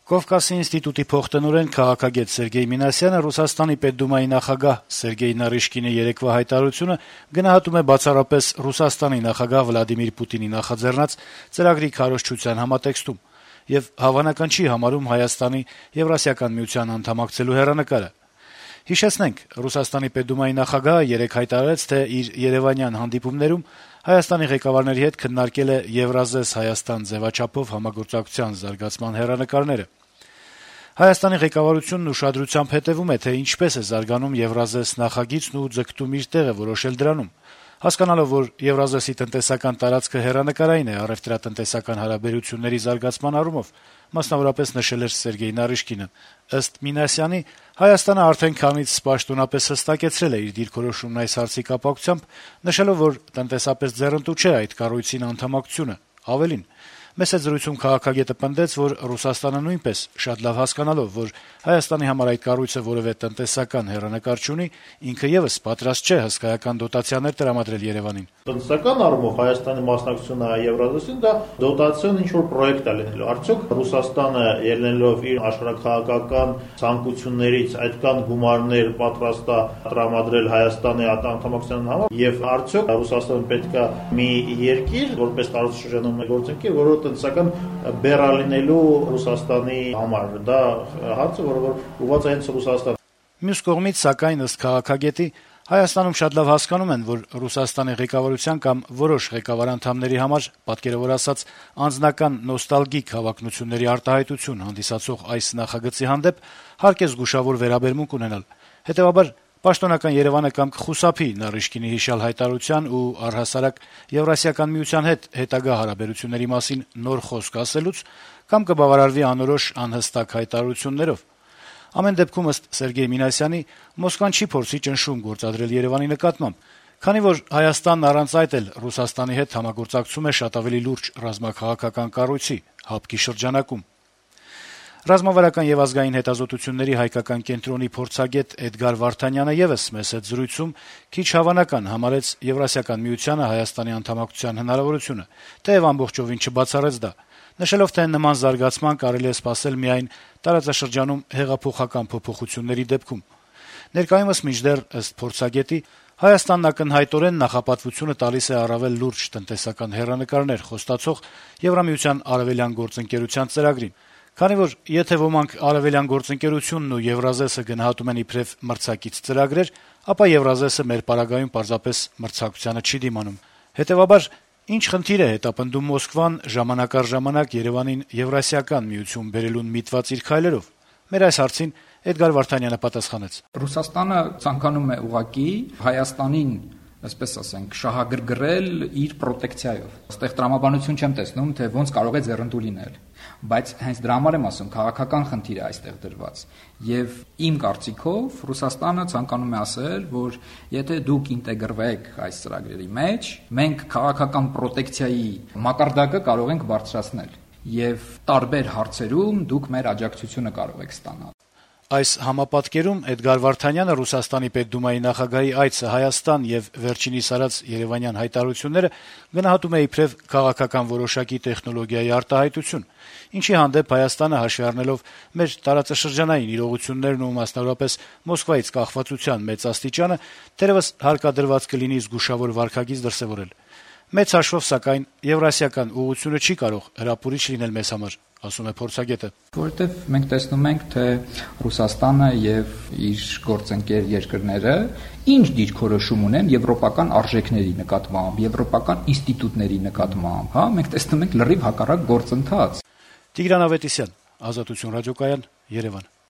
Կովկասի ինստիտուտի փոխտնօրեն քաղաքագետ Սերգեյ Մինասյանը Ռուսաստանի Պետդումայի նախագահ Սերգեյ Նարիշկինի երեկվա հայտարարությունը գնահատում է բացառապես Ռուսաստանի նախագահ Վլադիմիր Պուտինի նախաձեռնած ծրագրի քարոզչության համատեքստում եւ հավանական չի համարում Հայաստանի Եվրասիական միության անդամակցելու հեռանկարը։ Հիշեցնենք, Ռուսաստանի Պետդումայի նախագահը երեկ հայտարարեց, թե իր երևանյան հանդիպումներում Հայաստանի ղեկավարների հետ քննարկել է Եվրազես Հայաստան ձևաչափով համագործակցության զարգացման հեռանկարները։ Հայաստանի ղեկավարությունն ուշադրությամբ հետեւում է, թե ինչպես է զարգանում Եվրազես նախագիծն ու ձգտում իր տեղը որոշել դրանում։ Հասկանալով, որ Եվրազեսի տնտեսական տարածքը հեռանկարային է առեւտրատնտեսական հարաբերությունների զարգացման առումով, մասնավորապես նշել էր Սերգեյ Նարիշկինը։ Ըստ Մինասյանի, Հայաստանը արդեն քանից պաշտոնապես հստակեցրել է իր դիրքորոշումն այս հարցի կապակցությամբ, նշելով, որ տնտեսապես ձեռնտու չէ այդ կառույցին անդամակցությունը։ Ավելին, մեծ զրույցում քաղաքագետը պնդեց, որ Ռուսաստանը նույնպես շատ լավ հասկանալով, որ Հայաստանի համար այդ կառույցը որևէ տնտեսական հեռանկար չունի, ինքը եւս պատրաստ չէ հսկայական դոտացիաներ տրամադրել Երևանին։ Տնտեսական առումով Հայաստանի մասնակցությունը Եվրազեսին դա դոտացիոն ինչ-որ պրոյեկտ է լինելու։ Արդյոք Ռուսաստանը ելնելով իր աշխարհաքաղաքական ցանկություններից այդքան գումարներ պատրաստ է տրամադրել Հայաստանի անդամակցության համար, եւ արդյոք Ռուսաստանը պետք է մի երկիր, որպես տարածաշրջանում գործընկեր, որը տնտեսական բեռալինելու Ռուսաստանի համար, դա հարցը, որը ուղղված է հենց Ռուսաստան։ Մյուս կողմից, սակայն, ըստ քաղաքագետի, Հայաստանում շատ լավ հասկանում են, որ Ռուսաստանի ղեկավարության կամ որոշ ղեկավար անդամների համար, պատկերավոր ասած, անձնական նոստալգիկ հավակնությունների արտահայտություն հանդիսացող այս նախագծի հանդեպ հարկ է զգուշավոր վերաբերմունք ունենալ։ Հետեւաբար, պաշտոնական Երևանը կամ կխուսափի Նարիշկինի հիշյալ հայտարարության ու առհասարակ Եվրասիական միության հետ հետագա հարաբերությունների մասին նոր խոսք ասելուց, կամ կբավարարվի անորոշ անհստակ հայտարարություններով։ Ամեն դեպքում, ըստ Սերգեյ Մինասյանի, Մոսկվան չի փորձի ճնշում գործադրել Երևանի նկատմամբ, քանի որ Հայաստանն առանց այդ էլ Ռուսաստանի հետ համագործակցում է շատ ավելի լուրջ ռազմաքաղաքական կառույցի՝ ՀԱՊԿ-ի շրջանակում։ Ռազմավարական եւ ազգային հետազոտությունների հայկական կենտրոնի փորձագետ Էդգար Վարդանյանը եւս մեծ զրույցում քիչ հավանական համարեց Եվրասիական միությանը Հայաստանի անդամակցության հնարավորությունը, թեև ամբողջովին չբացառեց դա, նշելով, թե նման զարգացման կարելի է սպասել միայն տարածաշրջանում հեղափոխական փոփոխությունների դեպքում։ Ներկայումս մինչդեռ, ըստ փորձագետի, Հայաստանն ակնհայտորեն նախապատվությունը տալիս է առավել լուրջ տնտեսական հեռանկարներ խոստացող Եվրամիության արևելյան գործընկերության ծրագրին, քանի որ եթե ոմանք արևելյան գործընկերությունն ու Եվրազեսը գնահատում են իբրև մրցակից ծրագրեր, ապա Եվրազեսը մեր պարագայում պարզապես մրցակցությանը չի դիմանում։ Հետևաբար, ինչ խնդիր է հետապնդում Մոսկվան ժամանակ առ ժամանակ Երևանին Եվրասիական միություն բերելուն միտված իր քայլերով։ Մեր այս հարցին Էդգար Վարդանյանը պատասխանեց. Ռուսաստանը ցանկանում է ուղղակի Հայաստանին, այսպես ասենք, շահագրգռել իր պրոտեկցիայով։ Այստեղ տրամաբանություն չեմ տեսնում, թե ոնց կարող է ձեռնտու լինել, բայց հենց դրա համար եմ ասում, քաղաքական խնդիր է այստեղ դրված։ Եվ իմ կարծիքով Ռուսաստանը ցանկանում է ասել, որ եթե դուք ինտեգրվեք այս ծրագրերի մեջ, մենք քաղաքական պրոտեկցիայի մակարդակը կարող ենք բարձրացնել եւ տարբեր հարցերում դուք մեր աջակցությունը կարող եք ստանալ։ Այս համապատկերում Էդգար Վարդանյանը Ռուսաստանի Պետդումայի նախագահի այցը Հայաստան եւ վերջինիս արած երևանյան հայտարարությունները գնահատում է իբրև քաղաքական որոշակի տեխնոլոգիայի արտահայտություն, ինչի հանդեպ Հայաստանը հաշվի առնելով մեր տարածաշրջանային իրողություններն ու մասնավորապես Մոսկվայից կախվածության մեծ աստիճանը, թերևս հարկադրված կլինի զգուշավոր վարքագիծ դրսևորել։ Մեծ հաշվով, սակայն, Եվրասիական ուղղությունը չի կարող հրապուրիչ լինել մեզ համար, ասում է փորձագետը։ Որովհետև մենք տեսնում ենք, թե Ռուսաստանը եւ իր գործընկեր երկրները ինչ դիրքորոշում ունեն եվրոպական արժեքների նկատմամբ, եվրոպական ինստիտուտների նկատմամբ, հա, մենք տեսնում ենք լրիվ հակառակ գործընթաց։ Տիգրան Ավետիսյան, Ազատություն ռադիոկայան, Երևան։